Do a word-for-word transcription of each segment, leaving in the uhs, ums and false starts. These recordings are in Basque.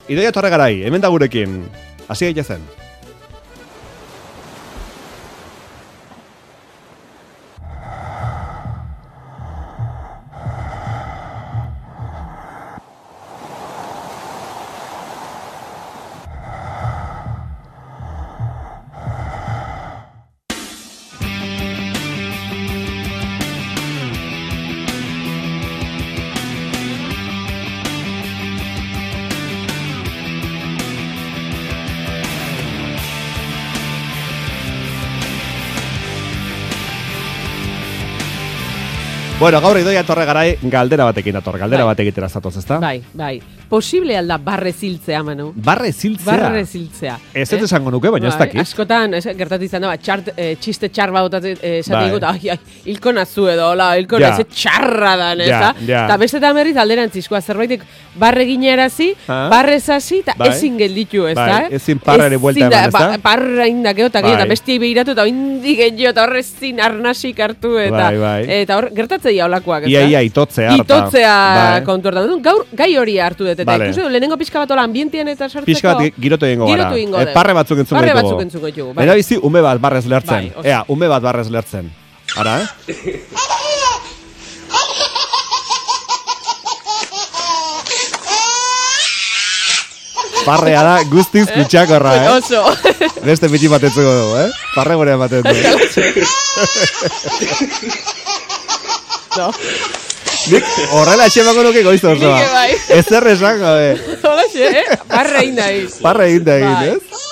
Idoia Torregarai, hemen da gurekin. Hasi gaitezen. Bueno, gaur Idoia Torregarai galdera batekin dator, galdera bai. Bat egitera zatoz, ezta? Bai, bai. Posible alda barre ziltzea, Manu? Barre ziltzea? Barre ziltzea. Ez ez esango nuke, baina ez dakit. Askotan, gertatu izan da, txart, e, txiste txar bat esaten dut, ai, ai, hilko nazu edo, hola, hilko nazu txarra dan, ez da? Eta bestetan berriz alderantzizkoa, zerbaitik barre ginearazi, barre zasi, eta ezin gelditu, ez da? Ezin parra ere buelta eman, ez da? Parra indakeo, eta bestiai behiratu, eta indik egin eta horrezin arnasik hartu, eta hor, gertatzen ja olakoak, ez da? Ia, ia, itotzea harta. Itotzea kontu hartan. Gaur, gai hori hartu dut, eta ikusi du, lehenengo pixka bat ola ambientien eta sartzeko. Pixka bat girotu egingo gara. Girotu egingo. Parre batzuk entzungo ditugu. Parre batzuk entzungo ditugu. Era bizi, ume bat barrez lertzen. Ea, ume bat barrez lertzen. Ara, eh? Parrea da guztiz kutsakorra, eh? Oso. Beste pitxi bat entzuko dugu, eh? Parre gorean bat entzuko. No. Nik horrela etxemako nuke goizto osoa. Nik bai. Ez errezango, eh? Hola xe, eh? Parre egin da egin. Parre egin da egin, ez?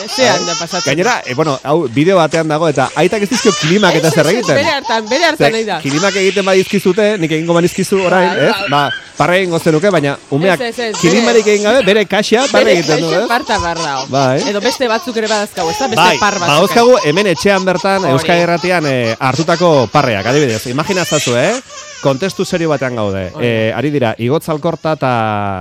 Zean da pasatzen. Gainera, eh, bueno, hau bideo batean dago eta aitak ez dizkio klimak eta zer egiten. Bere hartan, bere hartan nahi da. Klimak egiten badizkizute, nik egingo banizkizu orain, ez? Ba, parre egingo zenuke, baina umeak klimarik egin gabe, bere kaxea parre egiten du, ez? Bere kaxea parta barra. Bai. Edo beste batzuk ere badazkagu, ez da? Beste par batzuk. Bai, badazkagu hemen etxean bertan, Euskal Irratian hartutako parreak, adibidez. Imaginazazu, eh? Kontestu serio batean gaude. Eh, ari dira, Igotz Alkorta eta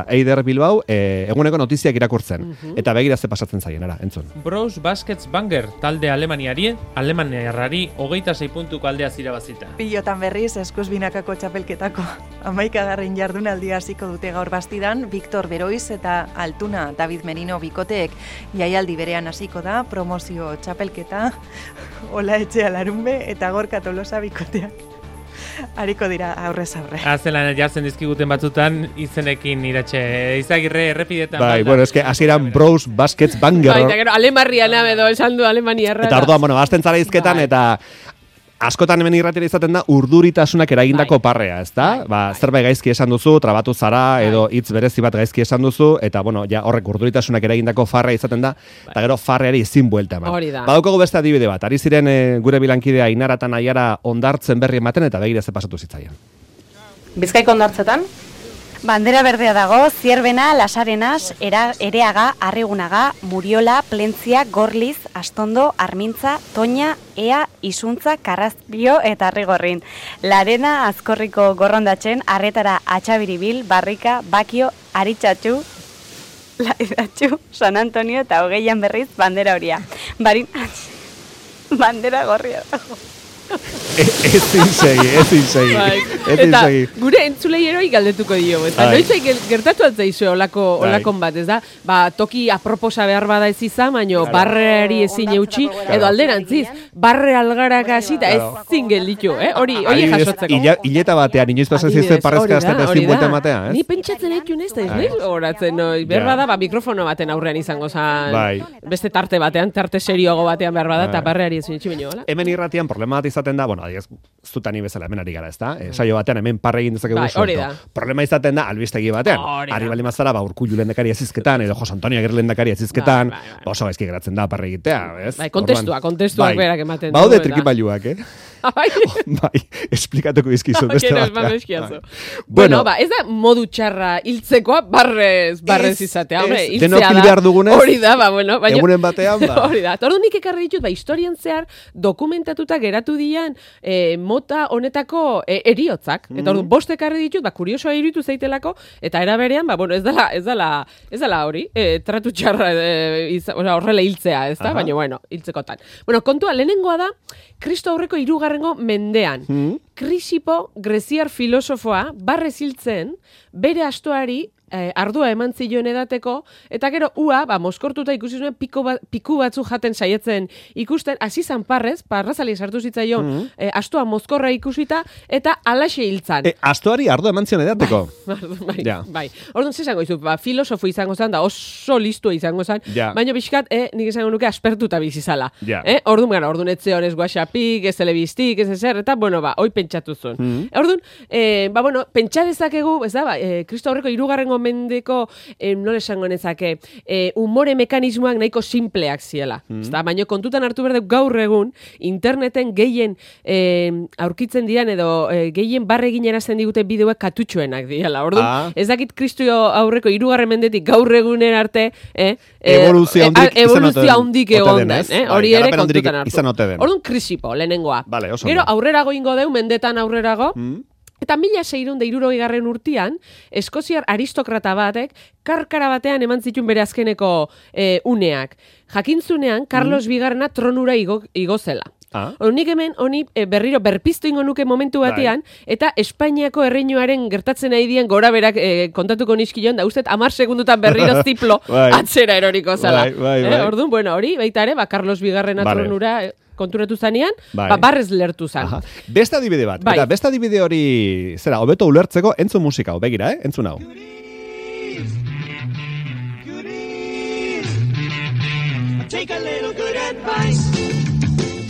Eider Bilbao eh, eguneko notiziak irakurtzen. Uh -huh. Eta begira ze pasatzen zaien, ara, entzun. Bros Baskets Banger, talde Alemaniari, Alemaniarrari hogeita sei puntuko aldea zirabazita. Pilotan berriz, eskuz binakako txapelketako hamaikagarren jardunaldia hasiko dute gaur bastidan, Victor Beroiz eta Altuna David Merino bikoteek jaialdi berean hasiko da, promozio txapelketa, Ola Etxea Larunbe eta Gorka Tolosa bikoteak. Hariko dira aurrez aurre. Azelan jartzen dizkiguten batzutan izenekin iratxe. Izagirre errepidetan. Bai, bueno, eske hasieran Bros Baskets Banger. Bai, eta gero Alemarrian edo esan du Alemaniarra. Eta orduan, bueno, azten zara izketan eta askotan hemen irratera izaten da urduritasunak eragindako bai. Parrea, ezta? Bai, ba, bai. Zerbait gaizki esan duzu, trabatu zara bai. Edo hitz berezi bat gaizki esan duzu eta bueno, ja horrek urduritasunak eragindako farrea izaten da bai. Eta gero farreari ezin buelta eman. Hori da. Badaukagu beste adibide bat. Ari ziren e, gure bilankidea Ainara eta Naiara ondartzen berri ematen eta begira ze pasatu zitzaien. Bizkaiko ondartzetan Bandera berdea dago, Zierbena, Lasarenas, era, Ereaga, Arrigunaga, Muriola, Plentzia, Gorliz, Astondo, Armintza, Toña, Ea, Isuntza, Karrazpio eta Arrigorrin. Larena, Azkorriko Gorrondatzen, Arretara, Atxabiribil, Barrika, Bakio, Aritxatxu, Laidatxu, San Antonio eta hogeian berriz bandera horia. Barin, bandera gorria dago. Ezin segi, ezin segi. Eta gure entzulei eroi galdetuko dio. Eta noiz gertatu altzaizu olako, olakon bat, ez da? Ba, toki aproposa behar bada ez izan, baino barreari ezin eutxi, edo alderantziz, barre algaraka hasi eta ezin gelditu, eh? Hori, hori jasotzeko. Hileta batean, inoiz pasen zizte parrezka azten ezin buelta ematea, ez? Ni pentsatzen egin ez da, ez horatzen, no? Behar bada, ba, mikrofono baten aurrean izango zan, beste tarte batean, tarte serioago batean behar bada, eta barreari ezin etxi baino, hola? Hemen irratian problema bat izaten da, bueno, adiez, zutani bezala hemen ari gara, ez da? Saio batean hemen parre egin dezakegu suelto. Problema izaten da, albistegi batean. Ari bali mazara, ba, Urkullu lehendakari azizketan, edo Jose Antonio Agirre lehendakari azizketan, oso gaizki geratzen da parre egitea, ez? Bai, kontestua, kontestuak berak ematen du. Baude trikipailuak, eh? Bai, esplikatuko izkizu beste bat. Bueno, ba, ez da modu txarra hiltzekoa barrez, barrez izatea. Denok hil behar dugunez, hori da, ba, bueno. Egunen batean, ba. Hori da. Tordu nik ekarri ditut, ba, historian zehar dokumentatuta geratu dian mota honetako eriotzak. Eta ordu, bost ekarri ditut, ba, kuriosoa iruditu zaitelako, eta era berean, ba, bueno, ez dela, ez dela, ez dela hori, tratu txarra, horrela hiltzea, ez da? Baina, bueno, hiltzekotan. Bueno, kontua, lehenengoa da, Kristo aurreko hirugarrengo mendean. Mm. Krisipo, greziar filosofoa, barrez hiltzen, bere astoari eh, ardua eman zioen edateko, eta gero ua, ba, moskortuta ikusi zuen piku, ba, piku batzu jaten saietzen ikusten, hasi zan parrez, parrazali sartu zitzaion, mm -hmm. eh, astua mozkorra ikusita, eta alaxe hiltzan. E, astuari ardua eman zion edateko? Bai, bai, ja. bai. Orduan, zizango izu, ba, filosofo izango zan, da oso listua izango zan, ja. baina pixkat, eh, nik izango nuke aspertuta bizizala. Ja. Eh? Orduan, gara, orduan etzeon ez whatsappik, ez telebiztik, ez ezer, eta, bueno, ba, hoi pentsatu zuen. Mm -hmm. Orduan, eh, ba, bueno, pentsa dezakegu, ez da, ba, eh, Kristo aurreko hirugarrengo mendeko, eh, nola esango nezake, eh, umore mekanismoak nahiko simpleak ziela. Mm -hmm. Ezta, baina kontutan hartu berde gaur egun, interneten gehien eh, aurkitzen dian edo eh, gehien barregin erazten digute bideoak katutxoenak diela. Orduan, ah. ez dakit Kristo aurreko hirugarren mendetik gaur egunen arte, eh, evoluzio handik eh, evoluzio handik egon den, eh? Hori ere kontutan hartu. Den. Orduan, krisipo, lehenengoa. Vale, gero aurrerago ingo deu, mendetan aurrerago, mm. eta mila seiehun eta hirurogei garren urtean, eskoziar aristokrata batek, karkara batean eman zituen bere azkeneko e, uneak. Jakintzunean, Carlos mm. bigarrena tronura igo, igo zela. Ah. Nik hemen, honi e, berriro berpiztu ingo nuke momentu batean, bai. eta Espainiako erreinuaren gertatzen nahi dien gora berak e, kontatuko nizkion, da ustet amar segundutan berriro ziplo bai. atzera eroriko zela. Bai, bai, bai. Eh, orduan, bueno, hori, baita ere, ba, Carlos bigarrena vale. tronura... E, konturatu zanean, bai. ba, barrez lertu zan. Aha. Beste adibide bat. Bai. Eta beste adibide hori, zera, hobeto ulertzeko, entzun musika, begira, eh? Entzun hau. Take a little good advice.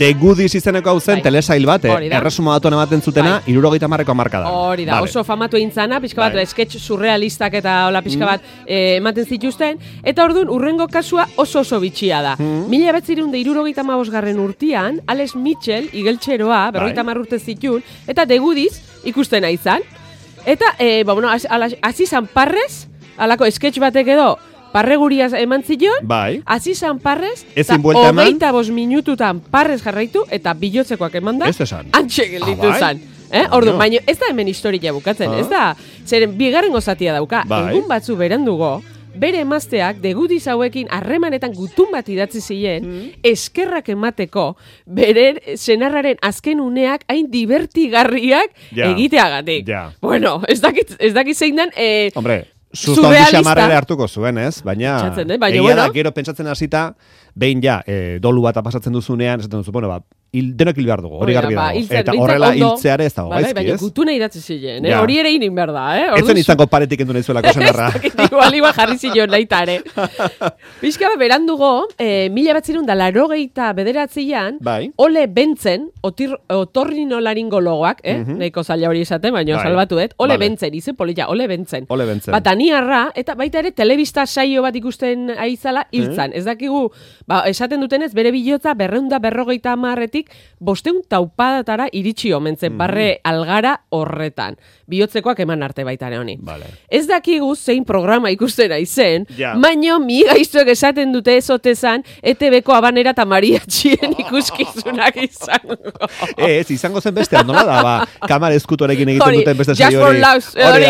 The Goodies izeneko hau zen, bai. telesail bat, eh? erresuma batuan ematen zutena, bai. irurogeita marreko markadan. Hori da, vale. oso famatu eintzana, pixka bat, bai. sketch surrealistak eta hola pixka bat mm. eh, ematen zituzten, eta orduan, urrengo kasua oso oso bitxia da. Mm. Mila betzirun da irurogeita mabosgarren urtian, Alex Mitchell, igeltxeroa, berrogeita bai. marrurte zitun, eta The Goodies ikusten aizan. Eta, eh, ba, bueno, hasi zan parrez, alako sketch batek edo, parreguriaz eman zion, bai. hasi zan parrez, eta hogeita bost minututan parrez jarraitu, eta bilotzekoak eman da, antxe gelditu ah, zan. Eh? Ordu, baina ez da hemen historia bukatzen, ah. ez da, zeren bigarren gozatia dauka, bai. egun batzu berandugo, bere emazteak, The Goodies hauekin harremanetan gutun bat idatzi ziren, mm. eskerrak emateko, bere senarraren azken uneak hain divertigarriak ja. egiteagatik. Ja. Bueno, ez dakit, ez dakit zein den, eh, Hombre, Susto handi xamarrera hartuko zuen, ez? Baina, eh? baina egia bueno. da, gero pentsatzen hasita, behin ja, eh, dolu bat pasatzen duzunean, esaten duzu, bueno, ba, il, denok hil behar dugu, hori garbi ba, dago. Eta horrela hiltzeare ez dago, ba, gaizki, ez? Baina gutuna idatzi ziren, eh? hori ere inin behar da, eh? Ez zen izango paretik endu nahi zuelako senarra. Igual iba jarri zion nahitare. Bizka ba, berandugo, eh, mila batzirun da larogeita bederatzean, bai. ole bentzen, otir, otorrinolaringologoak, eh? Mm -hmm. Nahiko zaila hori esaten, baina bai. salbatu dut, ole vale. bentzen, izen polilla, ole bentzen. Ole bentzen. Bataniarra, eta baita ere, telebista saio bat ikusten aizala, hiltzan. Mm -hmm. Ez dakigu, ba, esaten dutenez, bere bilotza berreunda berrogeita amarretik, bosteun taupadatara iritsi omentzen, mm. barre algara horretan. Bihotzekoak eman arte baitare honi. Vale. Ez dakigu zein programa ikustera izen, ja. baino mi gaiztuek esaten dute ezotezan, E T B ko Abanera eta Mariatxien ikuskizunak izango. Ez, izango zen beste, nola da, ba, kamara eskutorekin egiten hori, duten beste saio hori. Just for hori,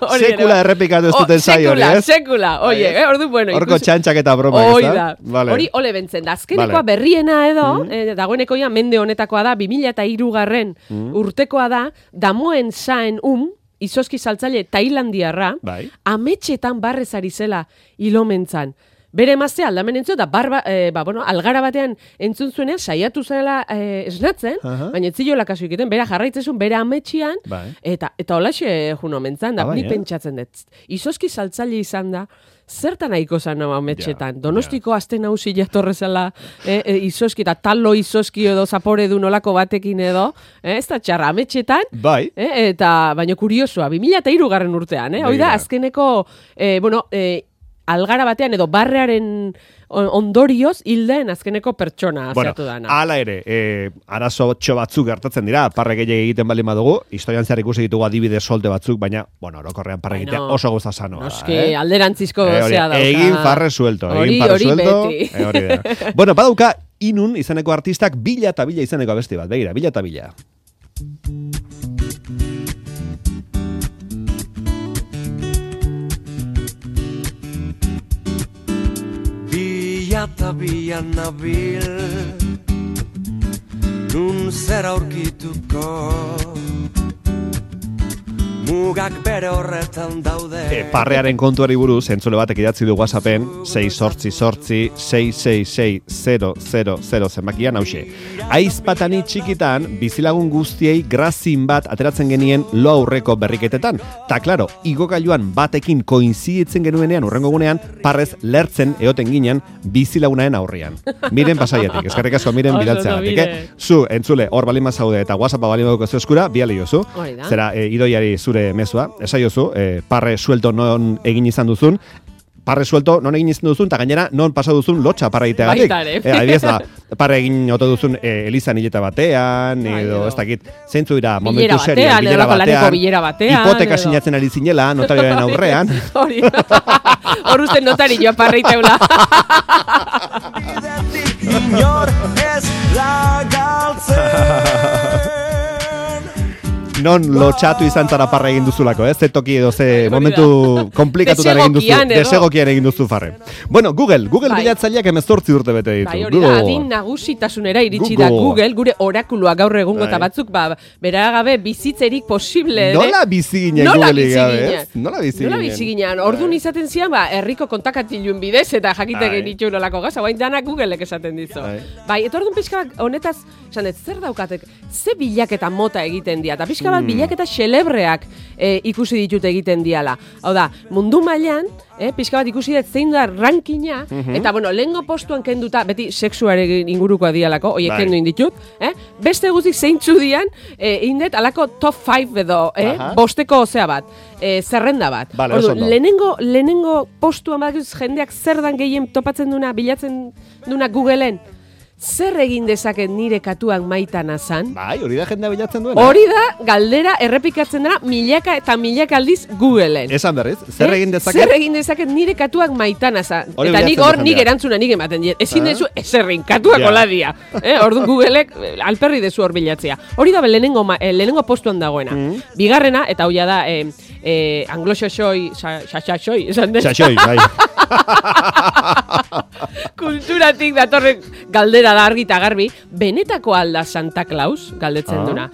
hori, sekula errepikatu ez duten saio hori, ez? Sekula, oie, eh, ordu, bueno. Horko txantxak eta broma, ez da? Vale. Hori, ole bentzen, da, azkenekoa vale. berriena edo, mm. eh, dagoeneko ja, mende honetakoa da, bi mila eta hirugarren mm. urtekoa da, damoen zaen um, izoski saltzaile tailandiarra, bai. ametxetan barrez ari zela ilomentzan. Bere emazte aldamen entzio, da barba, eh, ba, bueno, algara batean entzun zuenean, saiatu zela eh, esnatzen, uh-huh. baina etziola kasu egiten, bera jarraitzezun, bera ametxian, bai. eta eta holaxe juno mentzan, da, ah, ni bai, pentsatzen dut. Izoski saltzaile izan da, zertan nahiko zan nama ametxetan. Ja, Donostiko ja. azten hausi jatorrezela, eh, eh, izoski, eta talo izoski edo zapore du nolako batekin edo, eh, ez da txarra ametxetan, bai. eh, eta baina kuriosua, bi mila eta hirugarren urtean, eh, hoi da, azkeneko, eh, bueno, eh, algara batean edo barrearen ondorioz hilden azkeneko pertsona bueno, aziatu dana. Hala ere, e, arazo txo batzuk gertatzen dira, parre gehiagik egiten bali madugu, historian zehar ikusi ditugu adibide solte batzuk, baina, bueno, orokorrean parre egitea bueno, oso goza sanoa. Noski, eh? alderantzizko e, zea dauka. Egin farre suelto, egin farre suelto. E, hori da. Bueno, badauka, Inun izeneko artistak bila eta bila izeneko abesti bat, begira, bila eta bila. Eta bian nabil nun zer aurkituko mugak bere horretan daude. E, parrearen kontuari buruz, entzule batek idatzi du WhatsAppen, sei sortzi sortzi, sei sei sei, zero zero zero zenbakian hause. Aizpatani txikitan, bizilagun guztiei grazin bat ateratzen genien lo aurreko berriketetan. Ta, klaro, igokailuan batekin koinziditzen genuenean urrengo gunean, parrez lertzen eoten ginen bizilagunaen aurrian. Miren pasaiatik, eskerrik asko miren bidaltzeagatik, eh? Zu, entzule, hor balima zaude eta WhatsAppa balima duko eskura, biali jozu. Zera, e, idoiari zure mezua, esaiozu, e, parre suelto non egin izan duzun, parre suelto non egin izan duzun, eta gainera non pasa duzun lotxa parra egiteagatik. E, Adibiez da, parre egin oto duzun e, elizan hileta batean, edo ez dakit, zeintzu dira momentu serioan, bilera batean, batean hipoteka sinatzen ari zinela, notarioaren aurrean. Hori, hor uste notarioa parra iteula. Inor ez da galtzen. Non lotxatu izan zara parra egin duzulako, ez? Ze toki edo ze momentu komplikatutan egin duzu, desegokian egin duzu farre. Bueno, Google, Google bai. Bilatzaileak emezortzi urte bete ditu. Bai, hori da, adin nagusitasunera iritsi da Google, gure orakulua gaur egungo eta batzuk, ba, beragabe bizitzerik posible. Nola bizi ginen Google gabe, ez? Nola bizi ginen? Nola bizi ginen? Orduan izaten zian, ba, herriko kontakatillun bidez eta jakite genitxu nolako gaza, bain dana Googleek esaten dizu. Bai, eta orduan pixka honetaz, esan ez, zer daukatek, ze bilaketa mota egiten dira, eta pixka bat bilaketa xelebreak e, ikusi ditut egiten diala. Hau da, mundu mailan, e, pixka bat ikusi dut zein da rankina, mm-hmm. eta bueno, lehengo postuan kenduta, beti sexuaren ingurukoa dialako, oie kendu inditut, eh? Beste guztik zeintzu dian, e, indet alako top five edo, eh? Bosteko osea bat, e, zerrenda bat. Vale, Ordu, lehenengo, lehenengo postuan bat jendeak zer dan gehien topatzen duna, bilatzen duna Googleen, zer egin dezaket nire katuak maitan azan? Bai, hori da jendea bilatzen duena. Hori da, galdera errepikatzen dena milaka eta milaka aldiz Googleen. Esan berriz, zer egin dezaket? Zer egin dezaket nire katuak maitan azan. Eta nik hor, nik erantzuna nik ematen diet. Ezin dezu, ezerrin, katuak hola dia. Orduan Googleek alperri dezu hor bilatzea. Hori da, lehenengo, lehenengo postuan dagoena. Bigarrena, eta hoia da, anglo-xaxoi, xaxaxoi, esan den. Xaxoi, bai. Kulturatik datorren galdera da argi eta garbi, benetako alda Santa Claus galdetzen duna.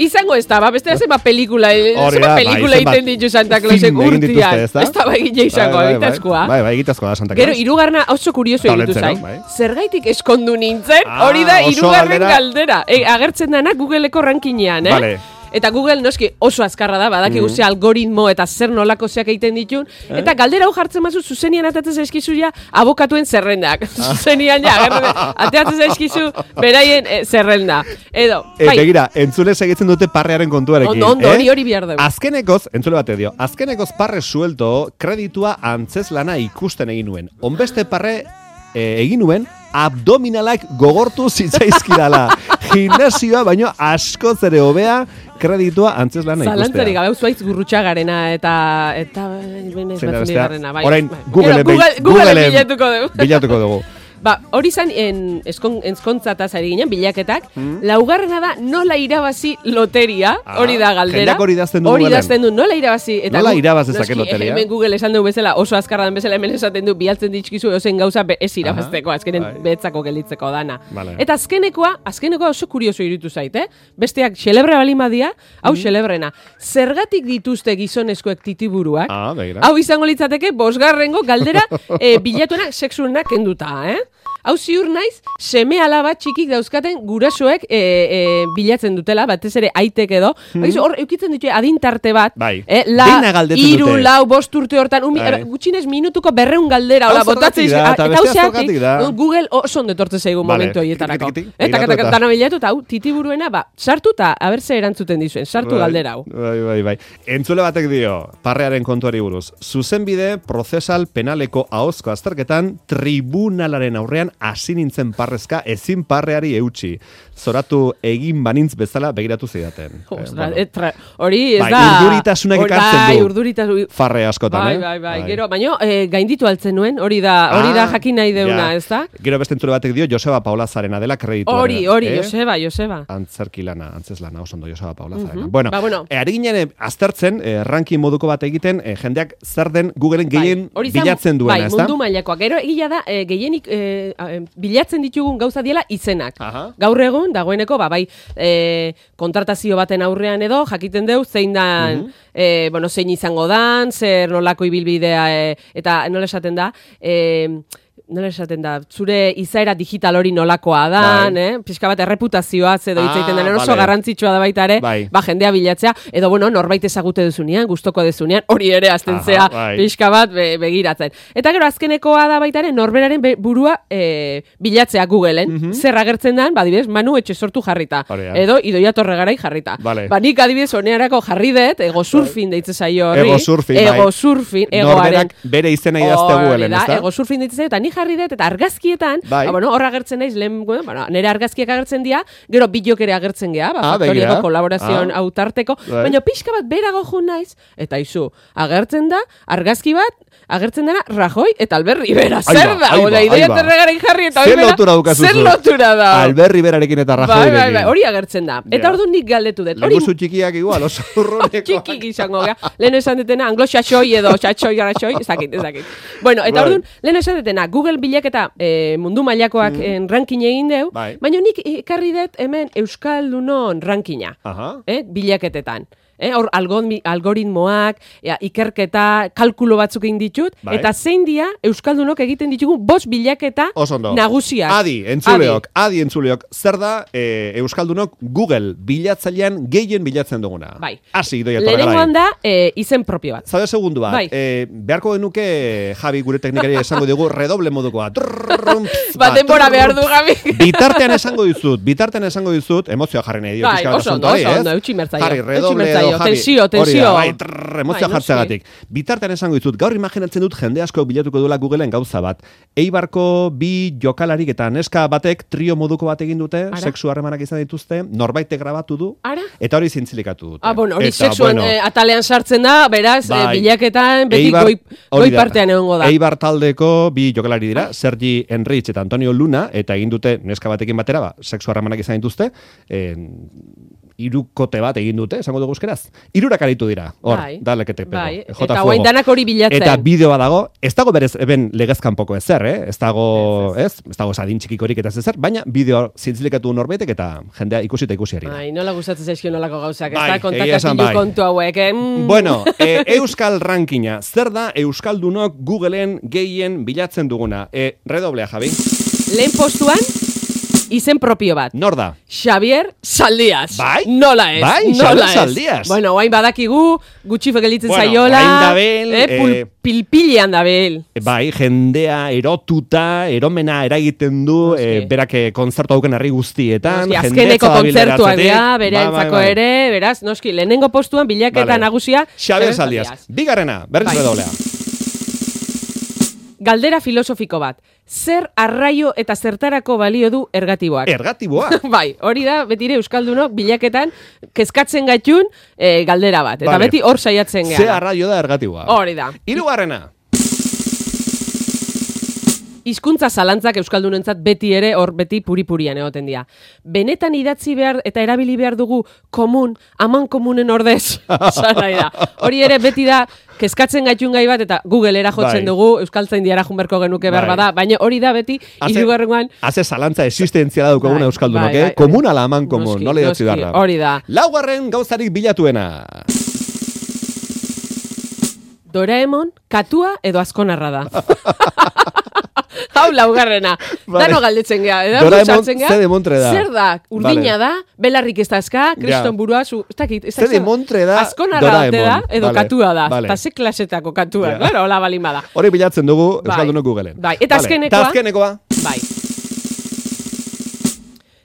Izango ez da, ba, beste zema pelikula, zema pelikula egiten ditu Santa Clausek urtian. Ez da, ba, egite izango, egitazkoa. Bai, bai, egitazkoa da Santa Claus. Gero, irugarna oso kurioso egitu zain. Zergaitik eskondu nintzen, hori da irugarren galdera. Agertzen dana Googleeko rankinean, eh? Vale. Eta Google noski oso azkarra da, badaki mm. algoritmo eta zer nolako zeak egiten ditun. Eh? Eta galdera hau jartzen mazu, zuzenian atatzen zaizkizu ja abokatuen zerrendak. Ah. Zuzenian ja, ateatzen zaizkizu beraien e, zerrenda. Edo, e, bai. Begira, entzule segitzen dute parrearen kontuarekin. Ondo, ondo, hori eh? hori bihar dugu. Azkenekoz, entzule bate dio, azkenekoz parre suelto kreditua antzez lana ikusten egin nuen. Onbeste parre e, egin nuen, abdominalak gogortu zitzaizkidala. Gimnasioa, baino asko zere hobea kreditua antzez lana ikustea. Zalantzarik gabe, zuaitz gurrutxagarena eta... eta... benez batzen bigarrena. Bai, orain, bai. Google, Google, Google, Google bilatuko dugu. Bilatuko dugu. Ba, hori zan ezkontzataz ari ginen, bilaketak, mm. laugarrena da nola irabazi loteria, ah, hori da galdera. Jendak hori dazten du Hori dazten du, nola irabazi. Eta nola irabazezake loteria? Hemen Google esan dugu bezala, oso azkarra den bezala, hemen esaten du, bialtzen ditxkizu ozen gauza ez irabazteko, azkenen bai. behetzako gelitzeko dana. Vale. Eta azkenekoa, azkenekoa oso kurioso iritu zait, eh? Besteak xelebre balima dia, hau mm. xelebrena. Zergatik dituzte gizonezkoek titiburuak? Ah, begira. Hau izango litzateke, bosgarrengo galdera e, bilatuenak seksuenak kenduta, eh? Hau ziur naiz, seme alaba txikik dauzkaten gurasoek e, e, bilatzen dutela, batez ere aitek edo. Mm. Hor, eukitzen ditu adintarte bat. Bai. Eh, la, iru, lau, bost urte hortan, un, bai. gutxinez minutuko berreun galdera. Hau botatzen da, eta beste aztokatik da. Google oso ondetortze zaigu vale. momentu horietarako. Eta dana bilatu, eta hau, titiburuena, ba, sartu eta abertze erantzuten dizuen, sartu bai, galdera hau. Bai, bai, bai. Entzule batek dio, parrearen kontuari buruz. Zuzenbide prozesal penaleko ahozko azterketan tribunalaren aurrean hasi nintzen parrezka ezin parreari eutxi. Zoratu egin banintz bezala begiratu zidaten. Hori ez bai, da... Urduritasunak ekartzen du. Urduritasun... Farre askotan, bai, eh? Bai, bai, bai. Gero, baino, eh, gainditu altzen nuen, hori da, hori da jakin nahi deuna, ez da? Gero beste entzule batek dio, Joseba Paula Zarena dela kreditu. Hori, hori, eh? Joseba, Joseba. Antzerki lana, antzez lana, oso ondo Joseba Paula Zarena. Uh-huh. Bueno, ba, bueno. E, ari ginen aztertzen, eh, ranking moduko bat egiten, eh, jendeak zer den Googleen gehien bai, bilatzen duena, bai, ez da? Mundu mailakoa. Gero, egia da, eh, gehienik, eh, e, bilatzen ditugun gauza diela izenak. Aha. Gaur egun, dagoeneko, ba, bai, e, kontratazio baten aurrean edo, jakiten deu, zein dan, Mhm. e, bueno, zein izango dan, zer nolako ibilbidea, e, eta nola esaten da, e, nola esaten da, zure izaera digital hori nolakoa dan, Bai. eh? Pixka bat erreputazioaz edo hitz egiten Ah, den oso vale. garrantzitsua da baita ere, Bai. ba, jendea bilatzea, edo bueno, norbait ezagute duzunean, gustoko duzunean, hori ere azten Aha, zea bai. pixka bat be, begiratzen. Eta gero azkenekoa da baita ere, norberaren be- burua e, bilatzea Googleen, Mhm. zer agertzen dan, ba, adibidez, Manu etxe sortu jarrita, Hori da. edo Idoia Torregarai jarrita. Vale. Ba, nik adibidez honearako jarri dut, ego surfing deitze zaio horri. Ego surfing, bai. Ego surfing, egoaren. Norberak bere izena idazte Hori Googleen, da, ezta? ego surfing ditzen eta ni jarri dut, eta argazkietan, Bai. ba, bueno, hor agertzen naiz, lehen, bueno, nire argazkiak agertzen dira, gero bideok ere agertzen gea, ba, Ah, faktoriako begira. kolaborazioan Ah. autarteko, Bai. baina pixka bat berago jun naiz, eta izu, agertzen da, argazki bat, agertzen dena Rajoy eta Albert Rivera. Ahí Zer ba, da? ahí Oda, ba, Idoia ahí ba. Torregarai jarri eta Zer hori bera- lotura daukazu Zer zu? lotura da? Albert Riverarekin eta Bai, Rajoyrekin. bai, bai, hori agertzen da. Eta Ja. orduan nik galdetu dut. Hori Leguzu txikiak igual, oso urrunekoak. txikik izango gea. Lehen esan detena, anglo-xaxoi edo xaxoi garaxoi, ez dakit, ez dakit. Bueno, eta Bai. orduan, lehen esan detena, Google bilaketa eh, mundu mailakoak mm. ranking egin deu, Bai. baina nik ekarri dut hemen Euskaldunon rankina, Aha. eh, bilaketetan. Eh, hor algoritmi- algoritmoak, ea, ikerketa, kalkulo batzuk egin ditut, Bai. eta zein dia Euskaldunok egiten ditugun bost bilaketa Oso ondo. nagusiak. Adi, entzuleok, adi. entzuleok. Zer da e, Euskaldunok Google bilatzailean gehien bilatzen duguna? Bai. Hasi, Idoia Lehenengoan Torregarai. da, eh, izen propio bat. Zaude segundu bat. Bai. E, beharko genuke, Javi, gure teknikari esango dugu, redoble modukoa. Trrrrum, Ba, denbora behar du, Gabi. Bitartean esango dizut, bitartean esango dizut, emozioa jarri nahi dio. Bai, pixka bat oso ondo, asuntoari, oso ez? ondo, eutxi mertzaio. Jarri, Eutxi redoble mertzaio, edo, Javi. tensio, Hori da, tensio. bai, trrr, emozioa Bai, jartzeagatik. Bitartean esango dizut, gaur imaginatzen dut jende asko bilatuko duela Googleen gauza bat. Eibarko bi jokalarik eta neska batek trio moduko bat egin dute, Ara? sexu harremanak izan dituzte, norbaitek grabatu du, Ara? eta hori zintzilikatu dute. Ah, bueno, hori Eta, sexuan bueno, eh, atalean sartzen da, beraz, Bai. eh, bilaketan beti Eibar- goi, hori goi da. partean egongo da. Eibar taldeko bi jokalari dira, Sergi Enrich eta Antonio Luna, eta egin dute neska batekin batera, ba, sexu harremanak izan dituzte, en, irukote bat egin dute, esango dugu euskeraz. Irurak aritu dira, hor, Bai. dalekete pego. Bai, jota eta fuego. guain danak hori bilatzen. Eta bideoa dago, ez dago berez eben legezkanpoko ezer, eh? Ez dago, ez? Ez dago sadin txikikorik eta ez ezer, baina bideo zintzilikatu norbaitek eta jendea ikusi eta ikusi ari da. Ai, nola gustatzen zaizkio nolako gauzak, Bai, ez da egia esan kontakatilu bai. kontu hauek. Eh? Mm. Bueno, e, Euskal Rankina, zer da Euskaldunok Googleen gehien bilatzen duguna? E, redoblea, Javi. Lehen postuan, izen propio bat. Nor da? Xavier Saldiaz. Bai? Nola ez? Bai, nola Xavier ez? Saldiaz. Bueno, guain badakigu, gutxi fegelitzen Bueno, zaiola. orain dabil, eh, pul, eh, pilpilian dabil. Bai, jendea erotuta, eromena eragiten du, Noski. e, berak eh, kontzertu hauken herri guztietan. Noski, jendetza azkeneko dabil kontzertuak eratzetik. dira, bere Bai, antzako bai, bai. ere, beraz, noski, lehenengo postuan bilaketa Vale. nagusia. Xabier Saldiaz. Bigarrena, berriz Bai. redoblea. Galdera filosofiko bat. Zer arraio eta zertarako balio du ergatiboak? Ergatiboa. Bai, hori da, betire Euskaldunok bilaketan kezkatzen gaitun eh, galdera bat. Eta Vale. beti hor saiatzen Ze gara. arraio da ergatiboa. Hori da. Hirugarrena. Hizkuntza zalantzak euskaldunentzat beti ere hor beti puripurian egoten dira. Benetan idatzi behar eta erabili behar dugu komun, aman komunen ordez. Esan nahi da. Hori ere beti da kezkatzen gaitun gai bat eta Googlera jotzen Bai. dugu, euskaltzain diara junberko genuke behar Bai. bada, baina hori da beti Haze- hirugarrengoan Haze zalantza existentziala daukaguna Bai, euskaldunok, bai, eh? bai. Komun ala aman komun, Noski, nola idatzi noski, behar da. hori da. Laugarren gauzarik bilatuena. Doraemon, katua edo azkonarra da. Hau laugarrena. Vale. Dano galdetzen geha. Doraemon, ze demontre da? Zer da? Urdina Vale. da, belarrik ez dazka, kriston burua, zu, ez dakit. Ez Ze dakit zer- demontre da Azkonarra ote da, Doraemon. edo Vale, katua da. vale. Eta ze klasetako katua. Ja. Claro, hola balin bada. Hori bilatzen dugu Bai. euskaldunok Googleen. Bai, eta Vale. azkenekoa? Eta azkenekoa. Bai.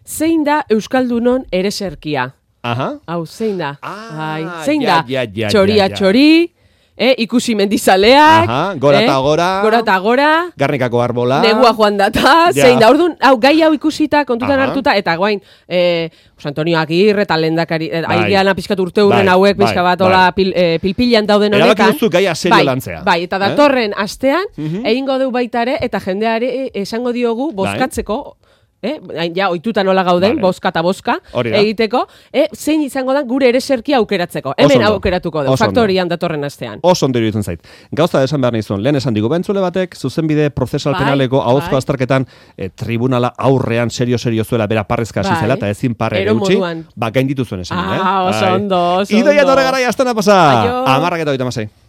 Zein da Euskaldunon ereserkia? Aha. Hau, zein da? Ah, Bai, zein ja, da? ja, ja, Txoria ja, ja. txori, eh, ikusi mendizaleak, Aha, gora eh, eta gora. gora eta gora, Garnikako arbola. negua joan data, Ja. zein da, orduan, hau, gai hau ikusita, kontutan Aha. hartuta, eta guain, eh, Jose Antonio Agirre eta lehendakari, eh, Bai. aigean pixkat urte hurren Bai, hauek, bai, pixka bat, bai. hola, pil, eh, pilpilan dauden Erabaki honekan. duzu gaia serio bai, lantzea. Bai, eta Eh? datorren astean, Mhm. egingo deu baita ere, eta jendeari esango diogu, bozkatzeko, eh? Ja, oituta nola gauden, Vale. boska eta boska Hori da. egiteko, eh? zein izango da gure ereserkia aukeratzeko. Hemen ondo. aukeratuko du, Oso ondo. faktorian datorren astean. Oso ondo iruditzen zait. Gauza esan behar nizun, lehen esan digu bentzule batek, zuzenbide prozesal Bai, penaleko ahozko bai. azterketan eh, tribunala aurrean serio-serio zuela bera parrezka hasi Bai. zela, eta ezin parre Ero utzi, moduan. ba gainditu zuen esan. Ah, eh? oso Bai. ondo, oso Idoia ondo. torre gara jaztena pasa. Aio. Amarrak eta oita masei.